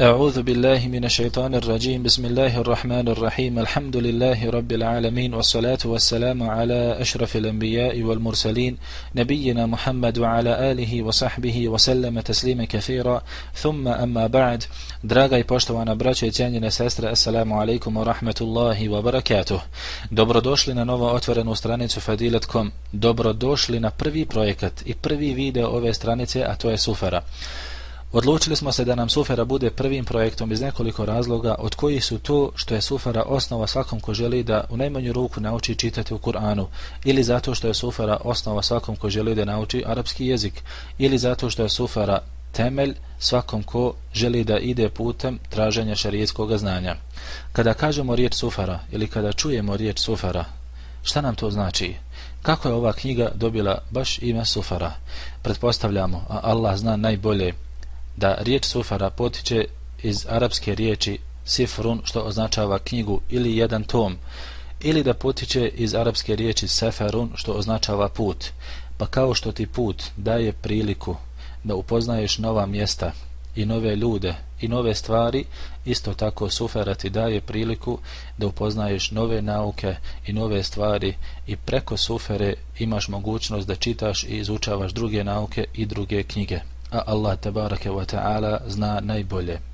أعوذ بالله من الشيطان الرجيم بسم الله الرحمن الرحيم الحمد لله رب العالمين والصلاة والسلام على أشرف الأنبياء والمرسلين نبينا محمد وعلى آله وصحبه وسلم تسليما كثيرا ثم أما بعد. Draga i poštovana braćo i cijenjene sestre, assalamu alaikum wa rahmatullahi wa barakatuh. Dobrodošli na novo otvorenu stranicu Fadilet.com. Dobrodošli na prvi projekat i prvi video ove stranice, a to je Sufara. Odlučili smo se da nam Sufara bude prvim projektom iz nekoliko razloga, od kojih su to što je Sufara osnova svakom ko želi da u najmanju ruku nauči čitati u Kur'anu, ili zato što je Sufara osnova svakom ko želi da nauči arapski jezik, ili zato što je Sufara temelj svakom ko želi da ide putem traženja šerijatskog znanja. Kada kažemo riječ Sufara ili kada čujemo riječ Sufara, šta nam to znači? Kako je ova knjiga dobila baš ime Sufara? Pretpostavljamo, a Allah zna najbolje, da riječ Sufara potiče iz arapske riječi sifrun, što označava knjigu ili jedan tom, ili da potiče iz arapske riječi seferun, što označava put. Pa kao što ti put daje priliku da upoznaješ nova mjesta i nove ljude i nove stvari, isto tako Sufara ti daje priliku da upoznaješ nove nauke i nove stvari, i preko Sufere imaš mogućnost da čitaš i izučavaš druge nauke i druge knjige. A Allah tebareke wa ta'ala zna najbolje.